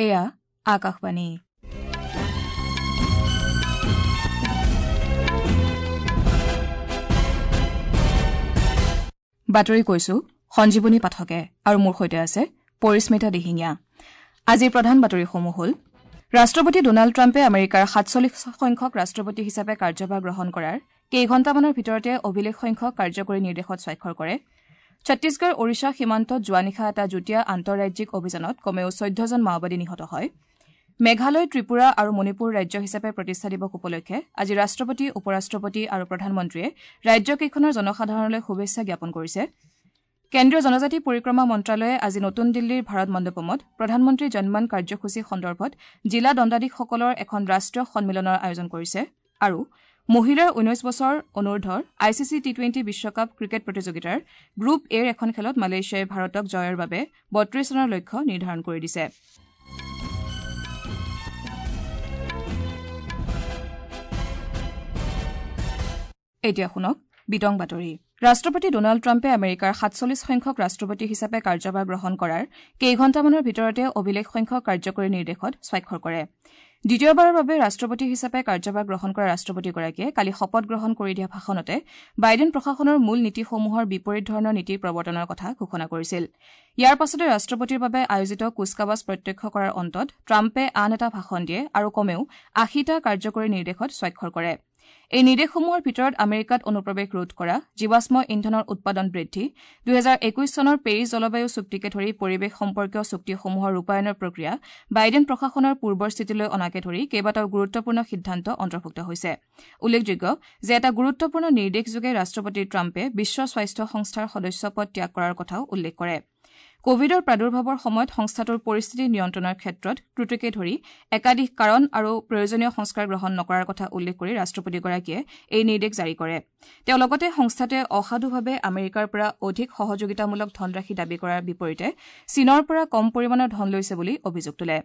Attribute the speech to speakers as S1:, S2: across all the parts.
S1: এয়া আকাশবাণী। বাতৰি কৈছো সঞ্জীৱনী পাঠকে আৰু মোৰ সৈতে আছে পৰিস্মিতা দিহিঙীয়া। আজিৰ প্ৰধান বাতৰিসমূহ হ'ল: ৰাষ্ট্ৰপতি ডোনাল্ড ট্ৰাম্পে আমেৰিকাৰ 47 সংখ্যক ৰাষ্ট্ৰপতি হিচাপে কাৰ্যভাৰ গ্ৰহণ কৰাৰ কেইঘণ্টামানৰ ভিতৰতে অভিলেখ সংখ্যক কাৰ্যকৰী নিৰ্দেশত স্বাক্ষৰ কৰে। ছত্তীশগড় ওড়িশা সীমান্তত যোৱা নিশা এটা যুটীয়া আন্তঃৰাজ্যিক অভিযানত কমেও 14জন মাওবাদী নিহত হয়। মেঘালয়, ত্ৰিপুৰা আৰু মণিপুৰ ৰাজ্য হিচাপে প্ৰতিষ্ঠা দিৱস উপলক্ষে আজি ৰাষ্ট্ৰপতি, উপ-ৰাষ্ট্ৰপতি আৰু প্ৰধানমন্ত্ৰীয়ে ৰাজ্যকেইখনৰ জনসাধাৰণলৈ শুভেচ্ছা জ্ঞাপন কৰিছে। কেন্দ্ৰীয় জনজাতি পৰিক্ৰমা মন্ত্ৰালয়ে আজি নতুন দিল্লীৰ ভাৰত মণ্ডপমত প্ৰধানমন্ত্ৰী জনমন কাৰ্যসূচী সন্দৰ্ভত জিলা দণ্ডাধীশসকলৰ এখন ৰাষ্ট্ৰীয় সন্মিলনৰ আয়োজন কৰিছে। আৰু মহিলাৰ 19 বছৰ অনুৰ্ধৰ আইচিচি টি-20 বিশ্বকাপ ক্ৰিকেট প্ৰতিযোগিতাৰ গ্ৰুপ এৰ এখন খেলত মালয়েছিয়াই ভাৰতক জয়ৰ বাবে 32 ৰানৰ লক্ষ্য নিৰ্ধাৰণ কৰি দিছে। এতিয়া শুনক বিতং বাতৰি। ৰাষ্ট্ৰপতি ডোনাল্ড ট্ৰাম্পে আমেৰিকাৰ 47 সংখ্যক ৰাষ্ট্ৰপতি হিচাপে কাৰ্যভাৰ গ্ৰহণ কৰাৰ কেইঘণ্টামানৰ ভিতৰতে অভিলেখ সংখ্যক কাৰ্যকৰী নিৰ্দেশত স্বাক্ষৰ কৰে। দ্বিতীয়বাৰৰ বাবে ৰাষ্ট্ৰপতি হিচাপে কাৰ্যভাৰ গ্ৰহণ কৰা ৰাষ্ট্ৰপতিগৰাকীয়ে কালি শপত গ্ৰহণ কৰি দিয়া ভাষণতে বাইডেন প্ৰশাসনৰ মূল নীতিসমূহৰ বিপৰীত ধৰণৰ নীতি প্ৰৱৰ্তনৰ কথা ঘোষণা কৰিছিল। ইয়াৰ পাছতে ৰাষ্ট্ৰপতিৰ বাবে আয়োজিত কুচকাৱাজ প্ৰত্যক্ষ কৰাৰ অন্তত ট্ৰাম্পে আন এটা ভাষণ দিয়ে আৰু কমেও 80টা কাৰ্যকৰী নিৰ্দেশত স্বাক্ষৰ কৰে। এই নিৰ্দেশসমূহৰ ভিতৰত আমেৰিকাত অনুপ্ৰৱেশ ৰোধ কৰা, জীৱাশ্ম ইন্ধনৰ উৎপাদন বৃদ্ধি, 2021 চনৰ পেৰিছ জলবায়ু চুক্তিকে ধৰি পৰিৱেশ সম্পৰ্কীয় চুক্তিসমূহৰ ৰূপায়ণৰ প্ৰক্ৰিয়া বাইডেন প্ৰশাসনৰ পূৰ্বৰ স্থিতিলৈ অনাকে ধৰি কেইবাটাও গুৰুত্বপূৰ্ণ সিদ্ধান্ত অন্তৰ্ভুক্ত হৈছে। উল্লেখযোগ্য যে এটা গুৰুত্বপূৰ্ণ নিৰ্দেশযোগে ৰাষ্ট্ৰপতি ট্ৰাম্পে বিশ্ব স্বাস্থ্য সংস্থাৰ সদস্যপদ ত্যাগ কৰাৰ কথাও উল্লেখ কৰে। কভিডৰ প্ৰাদুৰ্ভাৱৰ সময়ত সংস্থাটোৰ পৰিস্থিতি নিয়ন্ত্ৰণৰ ক্ষেত্ৰত ত্ৰুটিকে ধৰি একাধিক কাৰণ আৰু প্ৰয়োজনীয় সংস্কাৰ গ্ৰহণ নকৰাৰ কথা উল্লেখ কৰি ৰাষ্ট্ৰপতিগৰাকীয়ে এই নিৰ্দেশ জাৰি কৰে। তেওঁ লগতে সংস্থাটোৱে অসাধুভাৱে আমেৰিকাৰ পৰা অধিক সহযোগিতামূলক ধনৰাশি দাবী কৰাৰ বিপৰীতে চীনৰ পৰা কম পৰিমাণৰ ধন লৈছে বুলি অভিযোগ তোলে।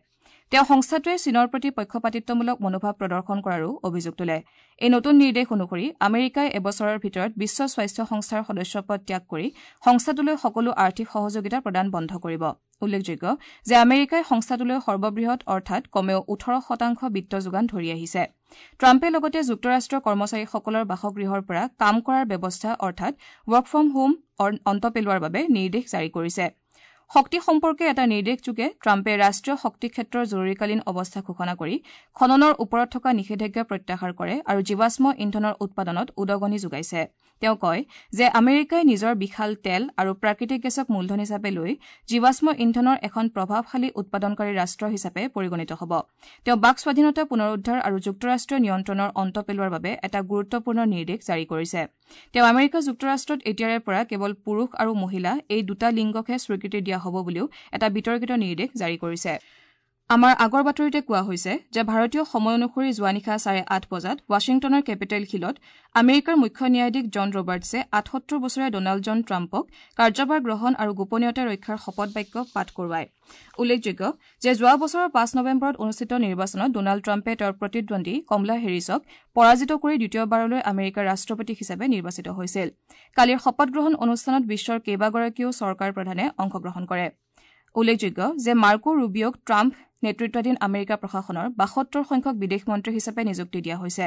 S1: তেওঁ সংস্থাটোৱে চীনৰ প্ৰতি পক্ষপাতিত্বমূলক মনোভাৱ প্ৰদৰ্শন কৰাৰো অভিযোগ তোলে। এই নতুন নিৰ্দেশ অনুসৰি আমেৰিকাই এবছৰৰ ভিতৰত বিশ্ব স্বাস্থ্য সংস্থাৰ সদস্যপদ ত্যাগ কৰি সংস্থাটোলৈ সকলো আৰ্থিক সহযোগিতা প্ৰদান বন্ধ কৰিব। উল্লেখযোগ্য যে আমেৰিকাই সংস্থাটোলৈ সৰ্ববৃহৎ অৰ্থাৎ কমেও 18% বিত্ত যোগান ধৰি আহিছে। ট্ৰাম্পে লগতে যুক্তৰাষ্ট্ৰৰ কৰ্মচাৰীসকলৰ বাসগৃহৰ পৰা কাম কৰাৰ ব্যৱস্থা অৰ্থাৎ ৱৰ্ক ফ্ৰম হোম অন্ত পেলোৱাৰ বাবে নিৰ্দেশ জাৰি কৰিছে। শক্তি সম্পৰ্কে এটা নিৰ্দেশযোগে ট্ৰাম্পে ৰাষ্ট্ৰীয় শক্তি ক্ষেত্ৰৰ জৰুৰীকালীন অৱস্থা ঘোষণা কৰি খননৰ ওপৰত থকা নিষেধাজ্ঞা প্ৰত্যাহাৰ কৰে আৰু জীৱাশ্ম ইন্ধনৰ উৎপাদনত উদগনি যোগাইছে। তেওঁ কয় যে আমেৰিকাই নিজৰ বিশাল তেল আৰু প্ৰাকৃতিক গেছক মূলধন হিচাপে লৈ জীৱাশ্ম ইন্ধনৰ এখন প্ৰভাৱশালী উৎপাদনকাৰী ৰাষ্ট্ৰ হিচাপে পৰিগণিত হ'ব। তেওঁ বাক স্বাধীনতা পুনৰুদ্ধাৰ আৰু যুক্তৰাষ্ট্ৰীয় নিয়ন্ত্ৰণৰ অন্ত পেলোৱাৰ বাবে এটা গুৰুত্বপূৰ্ণ নিৰ্দেশ জাৰি কৰিছে। তেওঁ আমেৰিকা যুক্তৰাষ্ট্ৰত এতিয়াৰে পৰা কেৱল পুৰুষ আৰু মহিলা এই দুটা লিংগকহে স্বীকৃতি দিয়া হ'ব বুলিও এটা বিতৰ্কিত নিৰ্দেশ জাৰি কৰিছে। আমাৰ আগৰ বাতৰিতে কোৱা হৈছে যে ভাৰতীয় সময় অনুসৰি যোৱা নিশা 8:30 বজাত ৱাশ্বিংটনৰ কেপিটেল হিলত আমেৰিকাৰ মুখ্য ন্যায়াধীশ জন ৰবাৰ্টছে 78 বছৰীয়া ডোনাল্ড জন ট্ৰাম্পক কাৰ্যভাৰ গ্ৰহণ আৰু গোপনীয়তা ৰক্ষাৰ শপত বাক্য পাঠ কৰোৱায়। উল্লেখযোগ্য যে যোৱা বছৰৰ 5 নৱেম্বৰত অনুষ্ঠিত নিৰ্বাচনত ডোনাল্ড ট্ৰাম্পে তেওঁৰ প্ৰতিদ্বন্দ্বী কমলা হেৰিছক পৰাজিত কৰি দ্বিতীয়বাৰলৈ আমেৰিকাৰ ৰাষ্ট্ৰপতি হিচাপে নিৰ্বাচিত হৈছিল। কালিৰ শপতগ্ৰহণ অনুষ্ঠানত বিশ্বৰ কেইবাগৰাকীও চৰকাৰ প্ৰধানে অংশগ্ৰহণ কৰে। উল্লেখযোগ্য যে মাৰ্কো ৰুবিঅ'ক ট্ৰাম্প নেতৃত্বাধীন আমেৰিকা প্ৰশাসনৰ 72 সংখ্যক বিদেশ মন্ত্ৰী হিচাপে নিযুক্তি দিয়া হৈছে।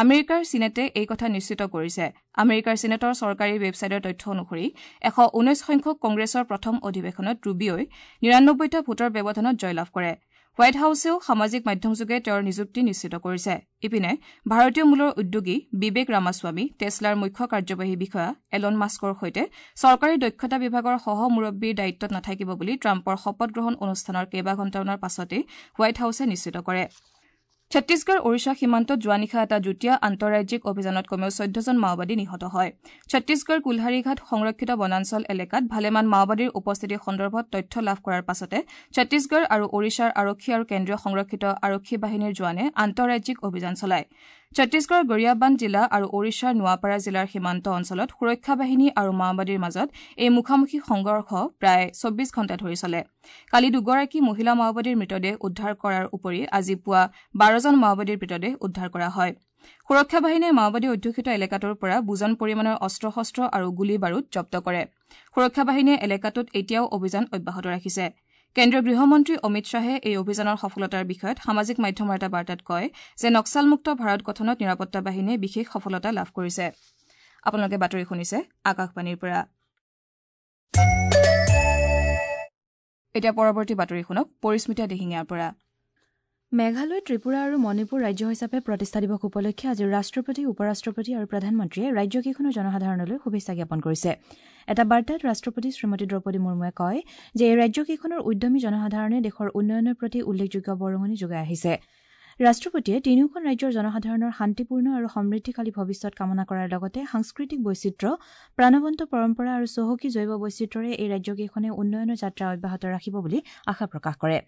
S1: আমেৰিকাৰ চিনেটে এই কথা নিশ্চিত কৰিছে। আমেৰিকাৰ চিনেটৰ চৰকাৰী ৱেবছাইটৰ তথ্য অনুসৰি 119 সংখ্যক কংগ্ৰেছৰ প্ৰথম অধিৱেশনত ৰুবিঅ'ই 99টা ভোটৰ ব্যৱধানত জয়লাভ কৰে। হোৱাইট হাউছেও সামাজিক মাধ্যমযোগে তেওঁৰ নিযুক্তি নিশ্চিত কৰিছে। ইপিনে ভাৰতীয় মূলৰ উদ্যোগী বিবেক ৰামাস্বামী টেছলাৰ মুখ্য কাৰ্যবাহী বিষয়া এলন মাস্কৰ সৈতে চৰকাৰী দক্ষতা বিভাগৰ সহ মুৰব্বীৰ দায়িত্বত নাথাকিব বুলি ট্ৰাম্পৰ শপতগ্ৰহণ অনুষ্ঠানৰ কেইবাঘণ্টামানৰ পাছতেই হোৱাইট হাউছে নিশ্চিত কৰে। ছত্তীশগড় ওড়িশা সীমান্তত যোৱা নিশা এটা যুটীয়া আন্তঃৰাজ্যিক অভিযানত কমেও 14জন মাওবাদী নিহত হয়। ছত্তীশগড় কুলহাৰীঘাট সংৰক্ষিত বনাঞ্চল এলেকাত ভালেমান মাওবাদীৰ উপস্থিতি সন্দৰ্ভত তথ্য লাভ কৰাৰ পাছতে ছত্তীশগড় আৰু ওড়িশাৰ আৰক্ষী আৰু কেন্দ্ৰীয় সংৰক্ষিত আৰক্ষী বাহিনীৰ জোৱানে আন্তঃৰাজ্যিক অভিযান চলায়। ছত্তীশগড়ৰ গৰিয়াবান্ধ জিলা আৰু ওড়িশাৰ নোৱাপাৰা জিলাৰ সীমান্ত অঞ্চলত সুৰক্ষা বাহিনী আৰু মাওবাদীৰ মাজত এই মুখামুখি সংঘৰ্ষ প্ৰায় 24 ঘণ্টা ধৰি চলে। কালি দুগৰাকী মহিলা মাওবাদীৰ মৃতদেহ উদ্ধাৰ কৰাৰ উপৰি আজি পুৱা 12জন মাওবাদীৰ মৃতদেহ উদ্ধাৰ কৰা হয়। সুৰক্ষা বাহিনীয়ে মাওবাদী অধ্যুষিত এলেকাটোৰ পৰা বুজন পৰিমাণৰ অস্ত্ৰ শস্ত্ৰ আৰু গুলী বাৰুদ জব্দ কৰে। সুৰক্ষা বাহিনীয়ে এলেকাটোত এতিয়াও অভিযান অব্যাহত ৰাখিছে। কেন্দ্ৰীয় গৃহমন্ত্ৰী অমিত শ্বাহে এই অভিযানৰ সফলতাৰ বিষয়ত সামাজিক মাধ্যমৰ এটা বাৰ্তাত কয় যে নক্সালমুক্ত ভাৰত গঠনত নিৰাপত্তা বাহিনীয়ে বিশেষ সফলতা লাভ কৰিছে। আপোনালোকে বাতৰি শুনিছে আকাশবাণীৰ পৰা। এতিয়া পৰৱৰ্তী বাতৰি শুনক পৰিস্মিতা দিহিঙীয়াৰ পৰা।
S2: মেঘালয়, ত্ৰিপুৰা আৰু মণিপুৰ ৰাজ্য হিচাপে প্ৰতিষ্ঠা দিৱস উপলক্ষে আজি ৰাষ্ট্ৰপতি, উপ-ৰাষ্ট্ৰপতি আৰু প্ৰধানমন্ত্ৰীয়ে ৰাজ্যকেইখনৰ জনসাধাৰণলৈ শুভেচ্ছা জ্ঞাপন কৰিছে। এটা বাৰ্তাত ৰাষ্ট্ৰপতি শ্ৰীমতী দ্ৰৌপদী মুৰ্মুৱে কয় যে এই ৰাজ্যকেইখনৰ উদ্যমী জনসাধাৰণে দেশৰ উন্নয়নৰ প্ৰতি উল্লেখযোগ্য বৰঙণি যোগাই আহিছে। ৰাষ্ট্ৰপতিয়ে তিনিওখন ৰাজ্যৰ জনসাধাৰণৰ শান্তিপূৰ্ণ আৰু সমৃদ্ধিশালী ভৱিষ্যত কামনা কৰাৰ লগতে সাংস্কৃতিক বৈচিত্ৰ্য, প্ৰাণৱন্ত পৰম্পৰা আৰু চহকী জৈৱ বৈচিত্ৰ্যৰে এই ৰাজ্যকেইখনে উন্নয়নৰ যাত্ৰা অব্যাহত ৰাখিব বুলি আশা প্ৰকাশ কৰে।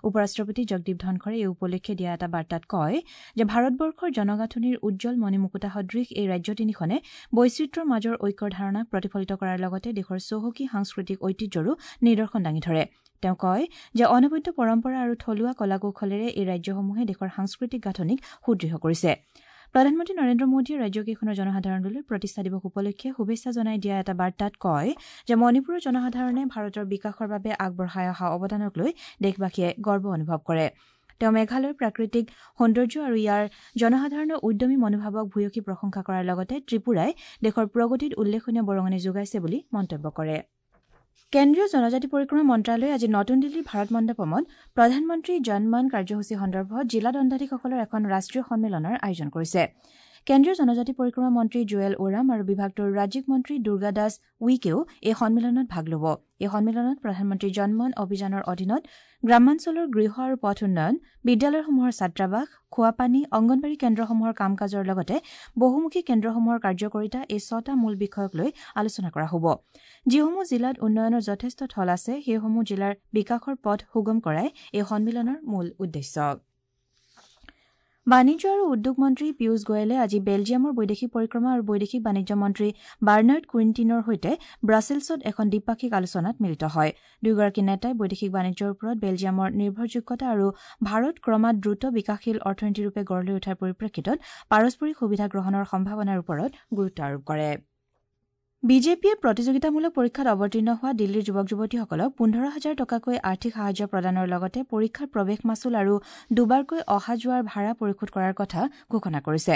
S2: উপ-ৰাষ্ট্ৰপতি জগদীপ ধনখৰে এই উপলক্ষে দিয়া এটা বাৰ্তাত কয় যে ভাৰতবৰ্ষৰ জনগাঁথনিৰ উজ্জ্বল মণিমুকুতা সদৃশ এই ৰাজ্য তিনিখনে বৈচিত্ৰ্যৰ মাজৰ ঐক্যৰ ধাৰণাক প্ৰতিফলিত কৰাৰ লগতে দেশৰ চহকী সাংস্কৃতিক ঐতিহ্যৰো নিদৰ্শন দাঙি ধৰে। তেওঁ কয় যে অনবদ্য পৰম্পৰা আৰু থলুৱা কলা কৌশলেৰে এই ৰাজ্যসমূহে দেশৰ সাংস্কৃতিক গাঁথনিক সুদৃঢ় কৰিছে। প্ৰধানমন্ত্ৰী নৰেন্দ্ৰ মোদীয়ে ৰাজ্যকেইখনৰ জনসাধাৰণলৈ প্ৰতিষ্ঠা দিৱস উপলক্ষে শুভেচ্ছা জনাই দিয়া এটা বাৰ্তাত কয় যে মণিপুৰৰ জনসাধাৰণে ভাৰতৰ বিকাশৰ বাবে আগবঢ়াই অহা অৱদানক লৈ দেশবাসীয়ে গৰ্ব অনুভৱ কৰে। তেওঁ মেঘালয়ৰ প্ৰাকৃতিক সৌন্দৰ্য আৰু ইয়াৰ জনসাধাৰণৰ উদ্যমী মনোভাৱক ভূয়সী প্ৰশংসা কৰাৰ লগতে ত্ৰিপুৰাই দেশৰ প্ৰগতিত উল্লেখনীয় বৰঙণি যোগাইছে বুলি মন্তব্য কৰে। কেন্দ্ৰীয় জনজাতি পৰিক্ৰমা মন্ত্ৰালয়ে আজি নতুন দিল্লীৰ ভাৰত মণ্ডপমত প্ৰধানমন্ত্ৰী জনমন কাৰ্যসূচী সন্দৰ্ভত জিলা দণ্ডাধীশসকলৰ এখন ৰাষ্ট্ৰীয় সন্মিলনৰ আয়োজন কৰিছে। কেন্দ্ৰীয় জনজাতি পৰিক্ৰমা মন্ত্ৰী জুৱেল ওৰাম আৰু বিভাগটোৰ ৰাজ্যিক মন্ত্ৰী দুৰ্গা দাস উইকেও এই সন্মিলনত ভাগ ল'ব। এই সন্মিলনত প্ৰধানমন্ত্ৰী জনমন অভিযানৰ অধীনত গ্ৰামাঞ্চলৰ গৃহ আৰু পথ উন্নয়ন, বিদ্যালয়সমূহৰ ছাত্ৰাবাস, খোৱাপানী, অংগনবাড়ী কেন্দ্ৰসমূহৰ কাম কাজৰ লগতে বহুমুখী কেন্দ্ৰসমূহৰ কাৰ্যকৰিতা এই ছটা মূল বিষয়ক লৈ আলোচনা কৰা হ'ব। যিসমূহ জিলাত উন্নয়নৰ যথেষ্ট থল আছে সেইসমূহ জিলাৰ বিকাশৰ পথ সুগম কৰাই এই সন্মিলনৰ মূল উদ্দেশ্য। বাণিজ্য আৰু উদ্যোগ মন্ত্ৰী পীয়ুষ গোৱেলে আজি বেলজিয়ামৰ বৈদেশিক পৰিক্ৰমা আৰু বৈদেশিক বাণিজ্য মন্ত্ৰী বাৰ্নাৰ্ড কুইণ্টিনৰ সৈতে ব্ৰাছেলছত এখন দ্বিপাক্ষিক আলোচনাত মিলিত হয়। দুয়োগৰাকী নেতাই বৈদেশিক বাণিজ্যৰ ওপৰত বেলজিয়ামৰ নিৰ্ভৰযোগ্যতা আৰু ভাৰত ক্ৰমাৎ দ্ৰুত বিকাশশীল অৰ্থনীতিৰূপে গঢ় লৈ উঠাৰ পৰিপ্ৰেক্ষিতত পাৰস্পৰিক সুবিধা গ্ৰহণৰ সম্ভাৱনাৰ ওপৰত গুৰুত্ব আৰোপ কৰে। বিজেপিয়ে প্ৰতিযোগিতামূলক পৰীক্ষাত অৱতীৰ্ণ হোৱা দিল্লীৰ যুৱক যুৱতীসকলক ১৫,০০০ টকাকৈ আৰ্থিক সাহায্য প্ৰদানৰ লগতে পৰীক্ষাৰ প্ৰৱেশ মাচুল আৰু দুবাৰকৈ অহা যোৱাৰ ভাড়া পৰিশোধ কৰাৰ কথা ঘোষণা কৰিছে।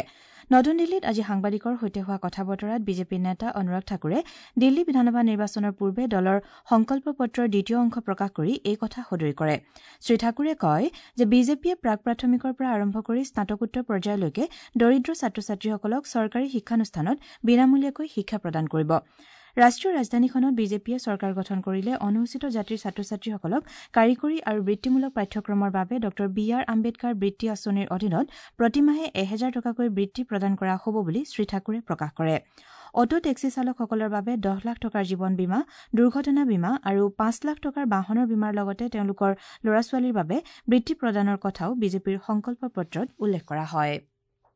S2: নতুন দিল্লীত আজি সাংবাদিকৰ সৈতে হোৱা কথা বতৰাত বিজেপি নেতা অনুৰাগ ঠাকুৰে দিল্লী বিধানসভা নিৰ্বাচনৰ পূৰ্বে দলৰ সংকল্প পত্ৰৰ দ্বিতীয় অংশ প্ৰকাশ কৰি এই কথা সদৰি কৰে। শ্ৰীঠাকুৰে কয় যে বিজেপিয়ে প্ৰাক প্ৰাথমিকৰ পৰা আৰম্ভ কৰি স্নাতকোত্তৰ পৰ্যায়লৈকে দৰিদ্ৰ ছাত্ৰ ছাত্ৰীসকলক চৰকাৰী শিক্ষানুষ্ঠানত বিনামূলীয়াকৈ শিক্ষা প্ৰদান কৰিব। ৰাষ্ট্ৰীয় ৰাজধানীখনত বিজেপিয়ে চৰকাৰ গঠন কৰিলে অনুসূচিত জাতিৰ ছাত্ৰ ছাত্ৰীসকলক কাৰিকৰী আৰু বৃত্তিমূলক পাঠ্যক্ৰমৰ বাবে ডঃ বি আৰ আম্বেদকাৰ বৃত্তি আঁচনিৰ অধীনত প্ৰতিমাহে ১,০০০ টকাকৈ বৃত্তি প্ৰদান কৰা হ'ব বুলি শ্ৰীঠাকুৰে প্ৰকাশ কৰে। অটো টেক্সি চালকসকলৰ বাবে ১০ লাখ টকাৰ জীৱন বীমা, দুৰ্ঘটনা বীমা আৰু ৫ লাখ টকাৰ বাহনৰ বীমাৰ লগতে তেওঁলোকৰ ল'ৰা ছোৱালীৰ বাবে বৃত্তি প্ৰদানৰ কথাও বিজেপিৰ সংকল্প পত্ৰত উল্লেখ কৰা হয়।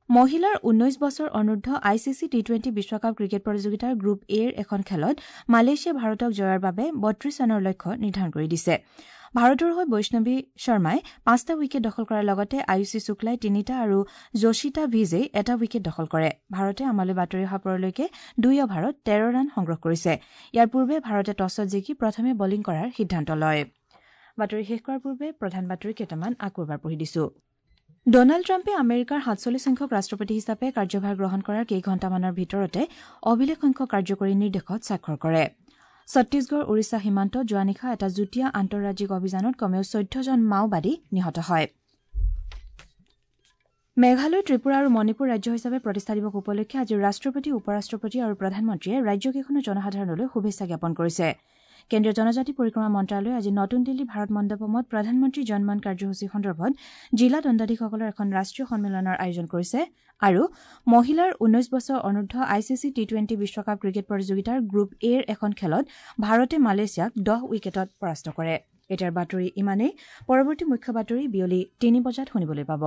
S2: মহিলাৰ ১৯ বছৰ অনূৰ্ধ্ব I C C T20 বিশ্বকাপ ক্ৰিকেট প্ৰতিযোগিতাৰ গ্ৰুপ এৰ এখন খেলত মালয়েছিয়াই ভাৰতক জয়ৰ বাবে ৩২ ৰানৰ লক্ষ্য নিৰ্ধাৰণ কৰি দিছে। ভাৰতৰ হৈ বৈষ্ণৱী শৰ্মাই ৫টা উইকেট দখল কৰাৰ লগতে আয়ুষী শুক্লাই ৩টা আৰু যোশিতা ভিজেই ১টা উইকেট দখল কৰে। ভাৰতে আমালৈ বাতৰি অহা পৰলৈকে ২ অভাৰত ১৩ ৰান সংগ্ৰহ কৰিছে। ইয়াৰ পূৰ্বে ভাৰতে টছত জিকি প্ৰথমে বলিং কৰাৰ সিদ্ধান্ত লয়। বাতৰি শেষ কৰাৰ পূৰ্বে প্ৰধান বাতৰি কেইটামান আকৌ এবাৰ পঢ়ি দিছো। ডনাল্ড ট্ৰাম্পে আমেৰিকাৰ ৪৭ সংখ্যক ৰাষ্ট্ৰপতি হিচাপে কাৰ্যভাৰ গ্ৰহণ কৰাৰ কেইঘণ্টামানৰ ভিতৰতে অভিলেখ সংখ্যক কাৰ্যকৰী নিৰ্দেশত স্বাক্ষৰ কৰে। ছত্তীশগড় ওড়িশা সীমান্তত যোৱা নিশা এটা যুটীয়া আন্তঃৰাজ্যিক অভিযানত কমেও ১৪জন মাওবাদী নিহত হয়। মেঘালয়, ত্ৰিপুৰা আৰু মণিপুৰ ৰাজ্য হিচাপে প্ৰতিষ্ঠা দিৱস উপলক্ষে আজি ৰাষ্ট্ৰপতি, উপ-ৰাষ্ট্ৰপতি আৰু প্ৰধানমন্ত্ৰীয়ে ৰাজ্যকেইখনৰ জনসাধাৰণলৈ শুভেচ্ছা জ্ঞাপন কৰিছে। কেন্দ্ৰীয় জনজাতি পৰিক্ৰমা মন্ত্ৰালয়ে আজি নতুন দিল্লীৰ ভাৰত মণ্ডপমত প্ৰধানমন্ত্ৰী জনমন কাৰ্যসূচী সন্দৰ্ভত জিলা দণ্ডাধীশসকলৰ এখন ৰাষ্ট্ৰীয় সন্মিলনৰ আয়োজন কৰিছে আৰু মহিলাৰ ১৯ বছৰ অনূৰ্ধ্ব I C C T20 বিশ্বকাপ ক্ৰিকেট প্ৰতিযোগিতাৰ গ্ৰুপ এৰ এখন খেলত ভাৰতে মালয়েছিয়াক ১০ উইকেটত পৰাস্ত কৰে। এতিয়াৰ বাতৰি ইমানেই। পৰৱৰ্তী মুখ্য বাতৰি বিয়লি ৩ বজাত শুনিবলৈ পাব।